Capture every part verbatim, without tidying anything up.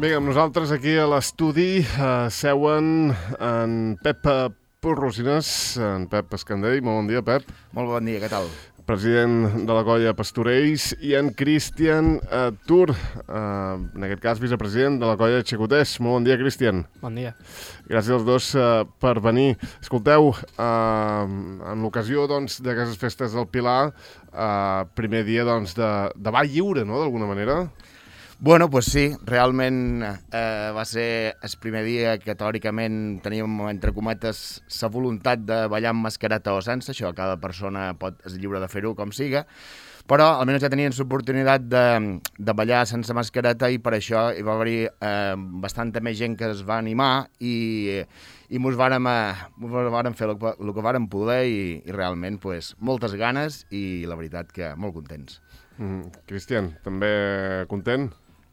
Bé, amb nosaltres aquí a l'estudi uh, seuen en Pep Porrosines, en Pep Escandell. Molt bon dia, Pep. Molt bon dia, què tal? President de la colla Pastorells, i en Cristian uh, Tur, uh, en aquest cas vicepresident de la colla Xicoters. Molt bon dia, Cristian. Bon dia. Gràcies als dos uh, per venir. Escolteu, uh, en l'ocasió doncs, d'aquestes festes del Pilar, uh, primer dia doncs, de, de ball lliure, no?, d'alguna manera. Bueno, pues sí, realment eh, va ser el primer dia que teòricament teníem, entre cometes, la voluntat de ballar amb mascareta o sense, això cada persona pot, és lliure de fer-ho com siga, però almenys ja tenien l'oportunitat de, de ballar sense mascareta i per això hi va haver eh, bastanta més gent que es va animar i, i mos vàrem, eh, mos vàrem fer el, el que vàrem poder i, i realment pues, moltes ganes i la veritat que molt contents. Mm, Cristian, també content?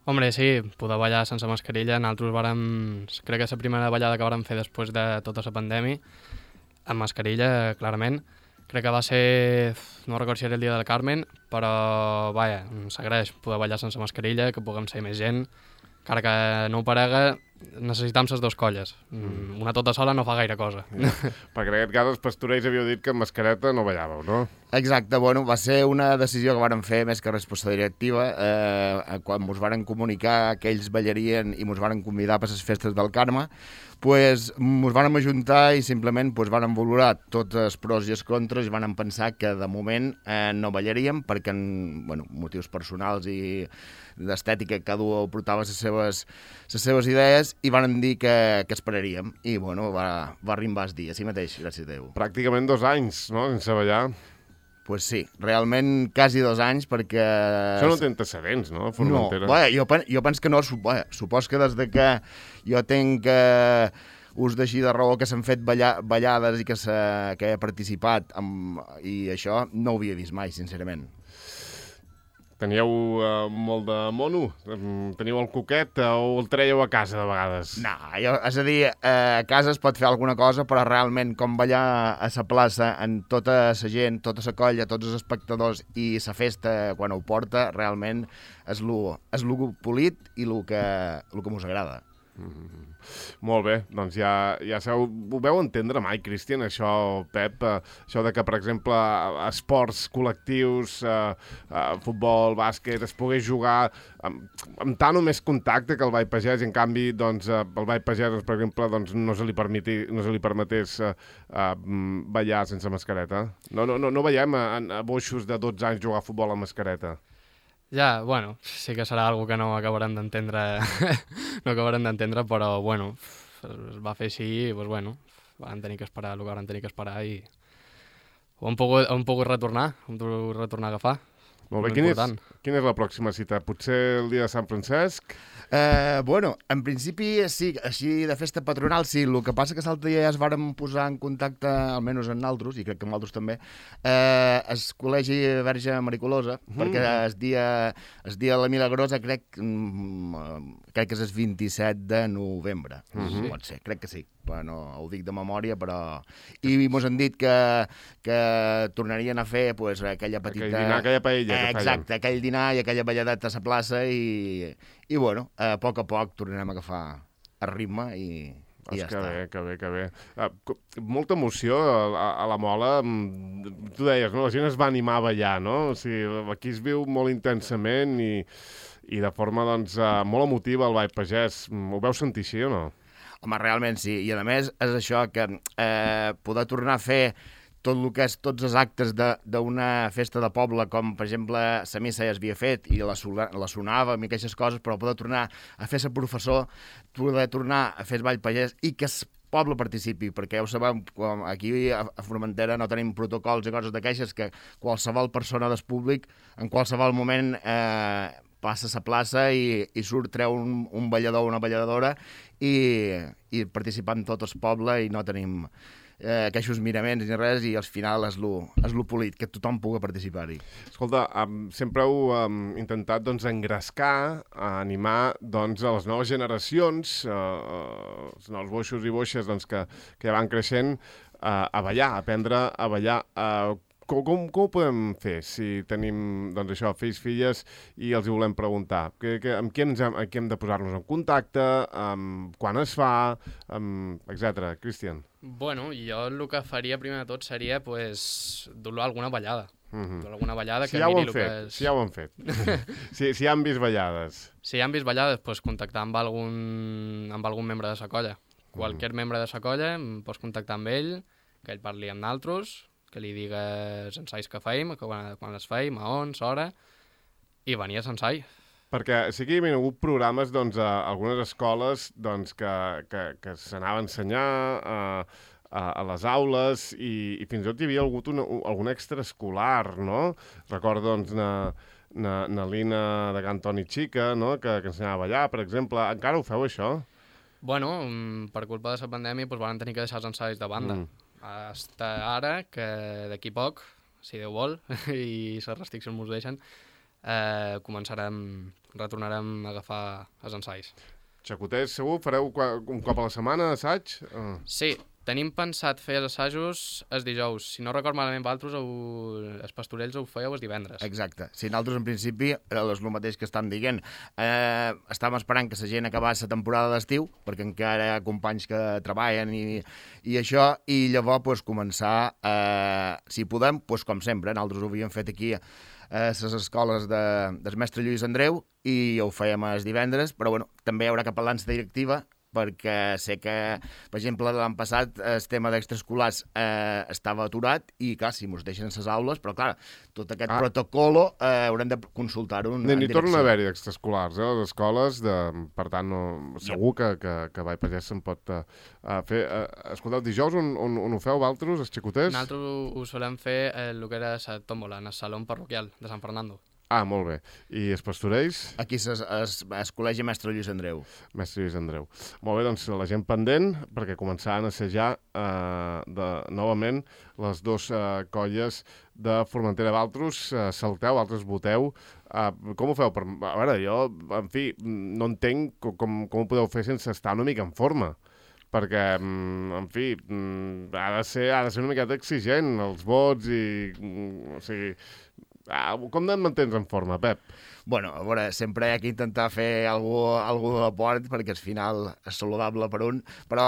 Hombre, sí, poder ballar sense mascarilla. Nosaltres vàrem... Crec que és la primera ballada que vàrem fer després de tota la pandèmia, amb mascarilla, clarament. Crec que va ser... No recordo si era el dia del Carmen, però, vaja, s'agraeix poder ballar sense mascarilla, que puguem ser més gent. Encara que no ho parega, necessitam les dues colles. Una tota sola no fa gaire cosa. Ja. Perquè en aquest cas els Pastorells havíeu dit que amb mascareta no ballàveu, no? Exacte, bueno, va ser una decisió que vàrem fer més que resposta directiva, eh, quan ens varen comunicar que ells ballarien i ens varen convidar per les festes del Carme, pues, ens vàrem ajuntar i simplement pues, vàrem valorar tots els pros i els contres i vàrem pensar que de moment eh, no ballaríem perquè en bueno, motius personals i d'estètica cada un portava les seves, les seves idees i vàrem dir que, que esperaríem i bueno, va, va arribar el dia, així mateix, gràcies a Déu. Pràcticament dos anys, no?, sense ballar. Pues sí, realment quasi dos anys perquè... Això no té antecedents, no, Formentera? No, bé, jo, jo penso que no, bé, supos que des de que jo tinc eh, ús d'així de raó que s'han fet balla, ballades i que, que he participat amb, i això no ho havia vist mai, sincerament. Teníeu uh, molt de mono? Teniu el coquet o el traieu a casa de vegades? No, jo, és a dir, eh, a casa es pot fer alguna cosa, però realment com ballar a la plaça amb tota la gent, tota la colla, tots els espectadors i la festa quan ho porta, realment és lo, és lo polit i el que, el que mos agrada. Mm-hmm. Molt bé, doncs ja, ja sabeu, ho veu entendre mai, Cristian, això, Pep, eh, això de que, per exemple, esports col·lectius, eh, eh, futbol, bàsquet, es pogués jugar amb, amb tant o més contacte que el ball pagès, i en canvi, doncs, eh, el ball pagès, doncs, per exemple, doncs, no se li, permeti, no se li permetés eh, eh, ballar sense mascareta. No, no, no, no veiem a, a boixos de dotze anys jugar a futbol amb mascareta. Ja, bueno, sí que serà algo que no acabarem d'entendre, no acabarem d'entendre, però, bueno, es va fer així i, doncs, bueno, van tenir que esperar el que van tenir que esperar i ho hem pogut, hem pogut retornar, hem pogut retornar a agafar. Molt bé, quina és, quina és la pròxima cita? Potser el dia de Sant Francesc? Eh, bueno, en principi sí, així de festa patronal sí, el que passa que l'altre dia ja es vàrem posar en contacte, almenys en nosaltres, i crec que amb altres també, eh, el Col·legi Verge Maricolosa, mm. perquè el dia, el dia de la Milagrosa crec, mm, crec que és el vint-i-set de novembre, mm-hmm. pot ser, crec que sí, però no ho dic de memòria, però... I mos han dit que, que tornarien a fer pues, aquella petita... Aquell dinar, aquella paella eh, que feien. Exacte, aquell dinar i aquella balladeta a la plaça i... I, bueno, a poc a poc tornarem a agafar el ritme i, i ja que està. Bé, que bé, que bé. Uh, molta emoció a, a la Mola. Tu deies, no? La gent es va animar a ballar, no? O sigui, aquí es viu molt intensament i, i de forma, doncs, uh, molt emotiva el ball pagès. Ho veu sentir així o no? Home, realment sí. I a més és això que eh, poder tornar a fer tot el que és tots els actes d'una festa de poble, com per exemple la missa ja s'havia fet i la, la sonàvem i aquestes coses, però poder tornar a fer ser professor, poder tornar a fer el ball pagès i que el poble participi, perquè ja ho sabem, aquí a Formentera no tenim protocols i coses de queixes que qualsevol persona del públic en qualsevol moment eh, passa a la plaça i, i surt, treu un, un ballador o una balladora i, i participant tot el poble i no tenim eh, queixos miraments ni res i al final és lo, és lo polit, que tothom pugui participar-hi. Escolta, um, sempre heu um, intentat doncs, engrescar, uh, animar doncs, a les noves generacions, uh, els nous boixos i boixes doncs, que, que ja van creixent, uh, a ballar, a aprendre a ballar. Uh, com, com, com ho podem fer si tenim, doncs això, fills, filles, i els hi volem preguntar? Que, que, amb qui ens hem, amb qui hem de posar-nos en contacte? Amb, quan es fa? Amb, etcètera. Cristian? Bueno, jo el que faria primer de tot seria pues, dur-lo a alguna ballada. Mm-hmm. Dur-lo a alguna ballada si que ja miri el que fet, és... si ja ho han fet. si, si ja han vist ballades. Si ja han vist ballades, pues, contactar amb algun, amb algun membre de sa colla. Qualsevol mm. membre de sa colla, pots contactar amb ell, que ell parli amb naltros, que li digues ensaios que feim, que quan, quan les feim, a on, s'hora, i venir a l'ensai. Perquè sí que hi havia hagut programes doncs, a algunes escoles doncs, que, que, que s'anava a ensenyar a, a, a les aules i, i fins i tot hi havia hagut una, algun extraescolar, no? Recordo doncs, na, na, na Lina de Can Toni Xica, no? que, que ensenyava a ballar, per exemple. Encara ho feu, això? Bueno, per culpa de la pandèmia doncs, van tenir que deixar els ensaios de banda. Mm. Hasta ara, que d'aquí poc, si Déu vol, i les restriccions mos deixen, eh, començarem, retornarem a agafar els ensaios. Xacoters, segur? Fareu un cop a la setmana assaig? Uh. Sí, tenim pensat fer els assajos els dijous. Si no record malament, vosaltres, els pastorells ho fèieu els divendres. Exacte. Si nosaltres, en principi, és el mateix que estem dient. Eh, estàvem esperant que la gent acabés la temporada d'estiu, perquè encara hi ha companys que treballen i, i això, i llavors pues, començar, eh, si podem, pues, com sempre, nosaltres ho havíem fet aquí a les escoles de, del mestre Lluís Andreu i ho fèiem els divendres, però bueno, també hi haurà que parlar amb la directiva, perquè sé que, per exemple, l'any passat el tema d'extraescolars eh, estava aturat i, clar, si mos deixen les aules, però, clar, tot aquest ah. protocolo eh, haurem de consultar-ho en, ni, en ni direcció. Ni torna a haver-hi extraescolars, eh, a les escoles, de, per tant, no, segur que, que, que Vall Pagès se'n pot uh, fer. Uh, escolteu, dijous on, on, on ho feu, vosaltres, els xicoters? Nosaltres ho, ho solem fer el que era la tómbola, en el saló parroquial de Sant Fernando. Ah, molt bé. I els pastorells? Aquí es, es, es col·legi Mestre Lluís Andreu. Mestre Lluís Andreu. Molt bé, doncs la gent pendent, perquè començaran a assajar eh, de, novament les dues eh, colles de Formentera. Valtros eh, salteu, altres voteu. Eh, com ho feu? Per, a veure, jo, en fi, no entenc com, com ho podeu fer sense estar una mica en forma. Perquè, en fi, ha de ser, ha de ser una miqueta exigent els vots i, o sigui... Ah, com et mantens en forma, Pep? Bueno, a veure, sempre hi ha que intentar fer alguna cosa de port perquè al final és saludable per un, però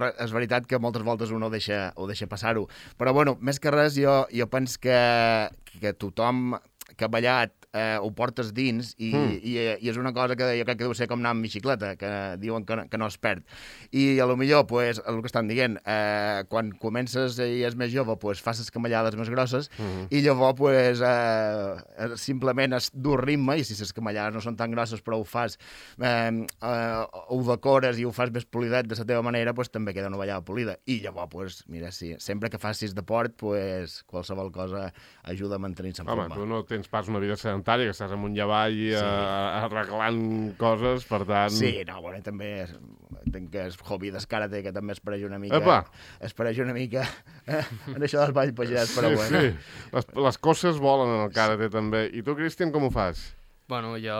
és veritat que moltes voltes un ho deixa, ho deixa passar-ho. Però, bueno, més que res, jo, jo penso que, que tothom que ha ballat eh, ho portes dins i, mm. i, i és una cosa que jo crec que deu ser com anar amb bicicleta, que diuen que no, que no es perd. I a lo millor, pues, el que estan dient, eh, quan comences i és més jove, pues, fas les camallades més grosses mm. i llavors pues, eh, simplement es du ritme i si les camallades no són tan grosses però ho fas, eh, eh, ho decores i ho fas més polidet de la teva manera, pues, també queda una ballada polida. I llavors, pues, mira, sí, sempre que facis de port, pues, qualsevol cosa ajuda a mantenir-se en Home, forma. tu no tens pas una vida sedentària, que estàs amunt i avall sí. uh, arreglant coses, per tant... Sí, no, bueno, també és, tinc que és hobby d'escàrate, que també es pareix una mica... Epa! Es pareix una mica eh, en això del ball pagès, però sí, bueno. Sí, les, les coses volen en el càrate, sí. també. I tu, Cristian, com ho fas? Bueno, jo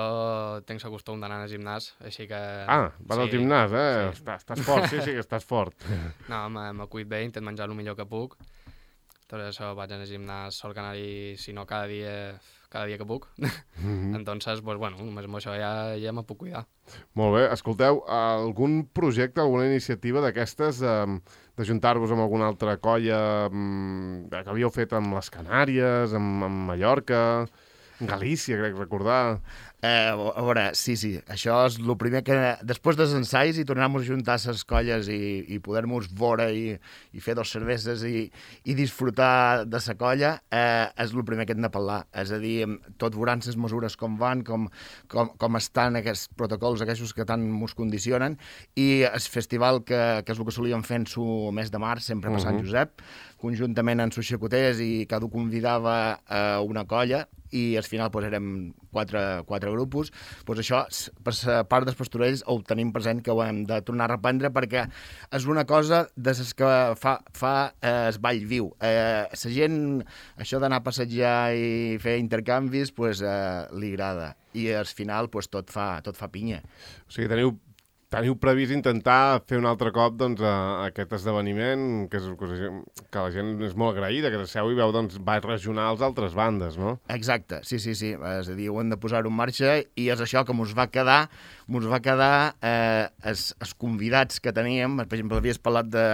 tinc el costum d'anar al gimnàs, així que... Ah, vas sí, al gimnàs, eh? Sí. Estàs, estàs fort, sí, sí que estàs fort. No, me cuid bé, intent menjar el millor que puc. Tot això vaig al gimnàs, sol que anar-hi, si no cada dia, cada dia que puc. Mm-hmm. Entonces, pues, bueno, només amb això ja, ja me puc cuidar. Molt bé. Escolteu, algun projecte, alguna iniciativa d'aquestes, eh, d'ajuntar-vos amb alguna altra colla eh, que havíeu fet amb les Canàries, amb, amb Mallorca, amb Galícia, crec recordar... Eh, a veure, sí, sí, això és el primer que... Després dels ensais i tornar-nos a juntar les colles i, i poder-nos veure i, i fer dos cerveses i, i disfrutar de la colla, eh, és el primer que hem de parlar. És a dir, tot veuran les mesures com van, com, com, com estan aquests protocols, aquests que tant ens condicionen, i el festival, que, que és el que solíem fer en el mes de març, sempre per uh-huh. Sant Josep, conjuntament amb els xacoters, i cada un convidava a una colla, i al final pues, érem quatre, quatre grupos, pues això, per la part dels pastorells ho tenim present que ho hem de tornar a reprendre perquè és una cosa de les que fa, fa eh, el ball viu. Eh, la gent, això d'anar a passejar i fer intercanvis, pues, eh, li agrada. I al final pues, tot, fa, tot fa pinya. O sigui, teniu teniu previst intentar fer un altre cop doncs, a, a aquest esdeveniment, que, és, que la gent és molt agraïda, que seu i veu doncs, balls regionals d'altres bandes, no? Exacte, sí, sí, sí. És a dir, ho hem de posar-ho en marxa i és això que mos va quedar, mos va quedar eh, els, els convidats que teníem, per exemple, havies parlat de,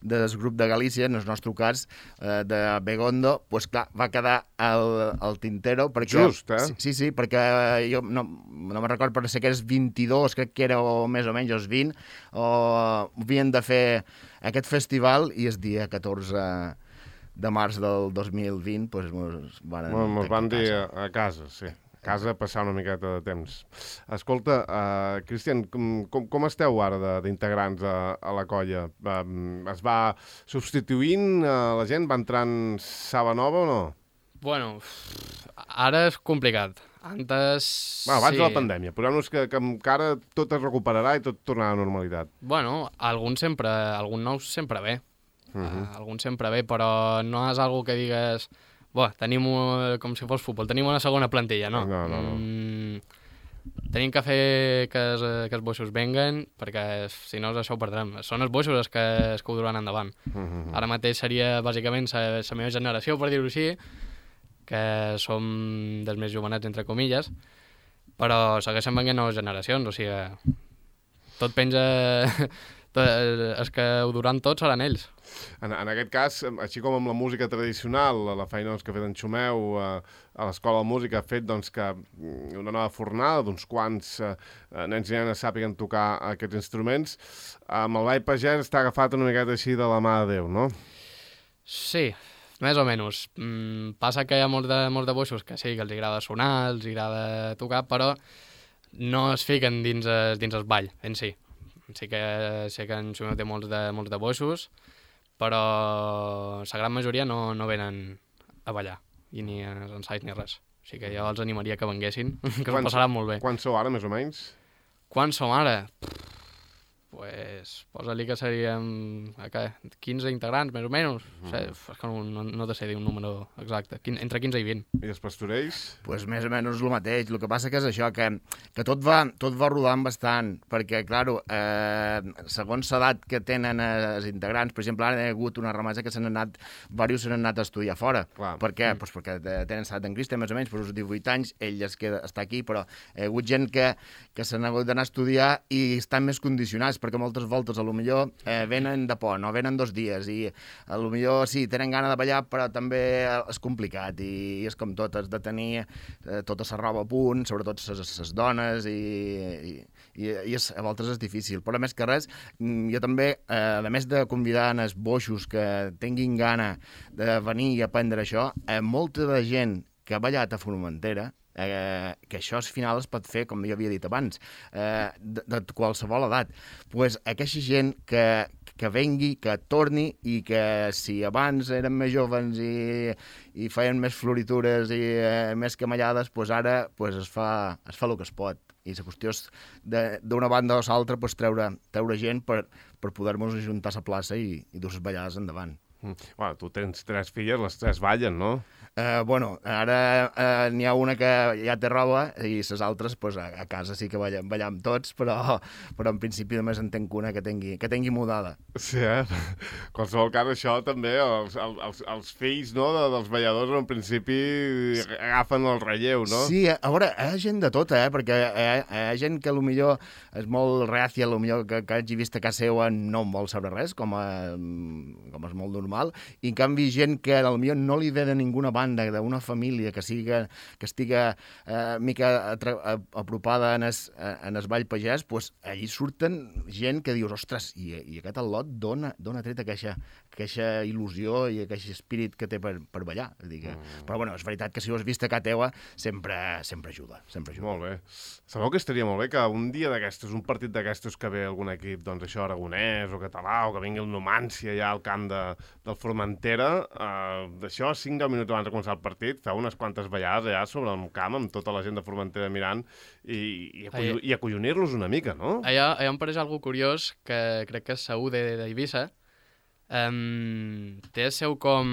del grup de Galícia, en el nostre cas, eh, de Begondo, doncs pues, clar, va quedar el, el Tintero. Perquè, Just, eh? Sí, sí, sí, perquè jo no, no me'n recordo, però sé que eres vint-i-dos, crec que era o més o menys els vint, o havien de fer aquest festival i el dia catorze de març del dos mil vint doncs mos van, mos van dir a, a casa, sí. A casa passar una miqueta de temps. Escolta, uh, Cristian, com, com, com esteu ara d'integrants a, a la colla? Uh, es va substituint uh, la gent? Va entrant saba nova o no? Bueno, ara és complicat. Antes... Bueno, abans sí. de la pandèmia. Posem-nos que, que encara tot es recuperarà i tot tornarà a la normalitat. Bueno, algun sempre, algun nou sempre ve. Uh -huh. uh, algun sempre ve, però no és algo que digues... Buah, tenim, un, com si fos futbol, tenim una segona plantilla, no. No, no, no. Mm, tenim que fer que els, que els boixos venguen, perquè si no això ho perdrem. Són els boixos els que, els que ho duran endavant. Uh -huh. Ara mateix seria bàsicament la, la meva generació, per dir-ho així, que som dels més jovenets, entre comilles, però segueixen venint noves generacions, o sigui, tot penja... tot, els que ho duran tots seran ells. En, en aquest cas, així com amb la música tradicional, la feina doncs, que ha fet en Xumeu eh, a l'Escola de Música ha fet doncs, que una nova fornada d'uns quants eh, nens i nenes sàpiguen tocar aquests instruments, amb el ball pagès està agafat una miqueta així de la mà de Déu, no? Sí, més o menys. Mm, passa que hi ha molts de, molts de boixos que sí, que els agrada sonar, els agrada tocar, però no es fiquen dins, dins el ball en si. Sí que sé que en Xumeu té molts de, molts de boixos, però la gran majoria no, no venen a ballar, i ni als ensaios ni res. O sigui que jo els animaria que venguessin, que s'ho passaran molt bé. Quants sou ara, més o menys? Quants som ara? Pues, posa-li que seríem quinze integrants, més o menys. Mm. O sigui, és que no, no, no te sé dir un número exacte. Entre quinze i vint. I els pastorells? Pues més o menys el mateix. El que passa que és això, que, que tot, va, tot va rodant bastant, perquè, clar, eh, segons l'edat que tenen els integrants, per exemple, ara hi ha hagut una ramassa que s'han anat, diversos s'han anat a estudiar fora. Clar. Per què? Mm. Pues perquè tenen l'edat en Cristian, més o menys, per uns divuit anys, ell es queda, està aquí, però hi ha hagut gent que, que s'han hagut d'anar a estudiar i estan més condicionats, perquè moltes voltes a lo millor eh, venen de pont o venen dos dies i a lo millor sí, tenen gana de ballar però també és complicat i, i és com tot, has de tenir eh, tota la roba a punt, sobretot les dones i, i, i, i és, a voltes és difícil, però més que res jo també, eh, a més de convidar els boixos que tinguin gana de venir i aprendre això, eh, molta de gent que ha ballat a Formentera Eh, que això al final es pot fer, com jo havia dit abans, eh, de, de qualsevol edat. Pues aquesta gent que, que vengui, que torni i que si abans eren més joves i, i feien més floritures i eh, més camallades, pues ara pues es, fa, es fa el que es pot. I la qüestió és d'una banda o l'altra pues, treure, treure gent per, per poder-nos ajuntar a la plaça i, i dur les ballades endavant. Mm. Bueno, tu tens tres filles, les tres ballen, no? Uh, bueno, ara uh, n'hi ha una que ja té roba i les altres pues, a, a casa sí que ballam, ballam tots, però, però en principi només en tenc una que tingui, que tingui mudada. Sí, eh? Qualsevol cas, això també, els, els, els fills no, de, dels balladors en principi agafen el relleu, no? Sí, a veure, hi ha gent de tota, eh? Perquè hi ha, hi ha gent que potser és molt reàcia, potser que, que hagi vist a casa seva no en vol saber res, com, a, com és molt normal, i en canvi gent que potser no li ve de ninguna banda d'una família que siga que estiga eh, mica apropada en es, en es ball pagès, pues, allí surten gent que dius, ostres, i, i aquest al·lot dona, dona tret aquesta, aquesta il·lusió i aquest espírit que té per, per ballar. Dir que... mm. Però bueno, és veritat que si ho has vist a casa teua sempre, sempre ajuda, sempre ajuda. Molt bé. Sabeu que estaria molt bé que un dia d'aquestes, un partit d'aquestes que ve algun equip, doncs això, aragonès o català, o que vingui el Numància ja al camp de, del Formentera, eh, d'això, cinc deu minuts abans de començar el partit, feu unes quantes ballades allà sobre el camp amb tota la gent de Formentera mirant i, i, acollo, i acollonir-los una mica, no? Allà, allà em pareix algo curiós que crec que és segur d'Eivissa. Um, té el seu com...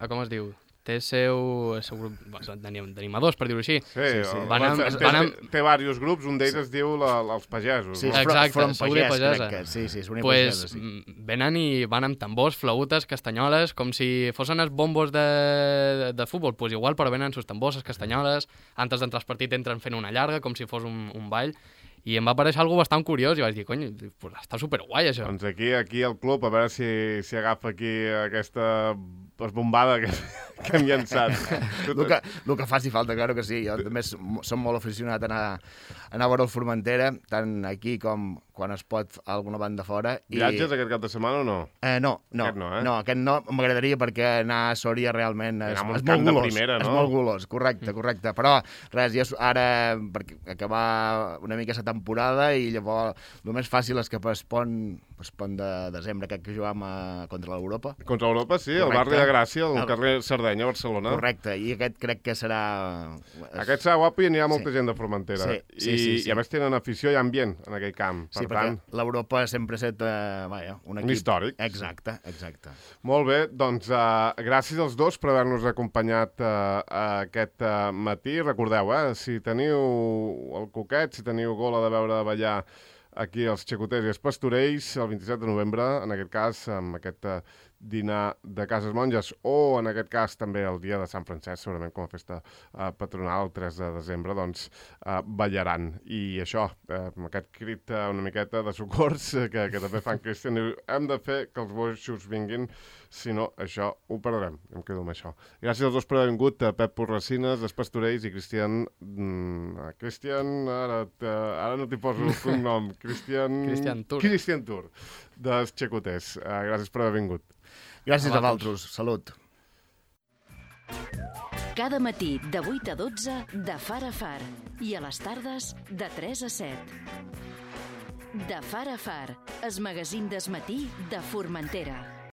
com es diu? té seu, seu grup d'animadors, per dir-ho així. Sí, sí, sí. Van amb, té, van amb... té diversos grups, un d'ells sí. es diu la, els pagesos. Sí, no? exacte, Front Saúdia Pagès, Pagesa. crec que, sí, sí, Saúdia pues, Pagesa, sí. Venen i van amb tambors, flautes, castanyoles, com si fossin els bombos de, de, de futbol, pues igual, però venen sus tambors, les castanyoles, antes d'entrar al partit entren fent una llarga, com si fos un, un ball, i em va aparèixer algo bastant curiós, i vaig dir, cony, pues està superguai, això. Doncs aquí, aquí al club, a veure si, si agafa aquí aquesta esbombada que, que hem llançat. el, que, el que faci falta, claro que sí. Jo també som molt aficionat a anar, a anar a veure el Formentera, tant aquí com quan es pot a alguna banda fora. I... Viatges aquest cap de setmana o no? Eh, no, no, aquest no, eh? no, aquest no. M'agradaria perquè anar a Sòria realment és, és molt golós. Primera, no? És molt golós, correcte, correcte. Però res, ja ara, perquè acabar una mica la temporada i llavors el més fàcil és que es pon, es pon de desembre, aquest que jugam a, contra l'Europa. Contra l'Europa, sí, al barri de Gràcia, al carrer Sardenya, a Barcelona. Correcte, i aquest crec que serà... Aquest serà guapo i anirà molta sí. gent de Formentera. Sí, sí, I, sí, sí. I a més tenen afició i ambient en aquell camp. Per sí, tant... perquè l'Europa sempre ha estat uh, vaja, un equip... Un històric. Exacte, exacte. Molt bé, doncs uh, gràcies als dos per haver-nos acompanyat uh, aquest uh, matí. Recordeu, eh, si teniu el coquet, si teniu gola de veure ballar aquí els xacoters i els pastorells, el vint-i-set de novembre, en aquest cas, amb aquest uh, dinar de Cases Monges, o en aquest cas també el dia de Sant Francesc, segurament com a festa uh, patronal, el tres de desembre, doncs uh, ballaran. I això, uh, amb aquest crit uh, una miqueta de socors uh, que, que també fan Cristian, hem de fer que els boixos vinguin, si no, això ho perdrem. Em quedo amb això. Gràcies als dos per haver vingut, uh, Pep Porracines, Els Pastorells, i Cristian... Mm, Cristian, ara, ara no t'hi poso el cognom. Cristian... Cristian Tur. Cristian Tur, dels Xacoters. Uh, gràcies per haver vingut. Gràcies a vosaltres. Salut. Cada matí de vuit a dotze de Far a Far i a les tardes de tres a set. De Far a Far, el magazín del matí de Formentera.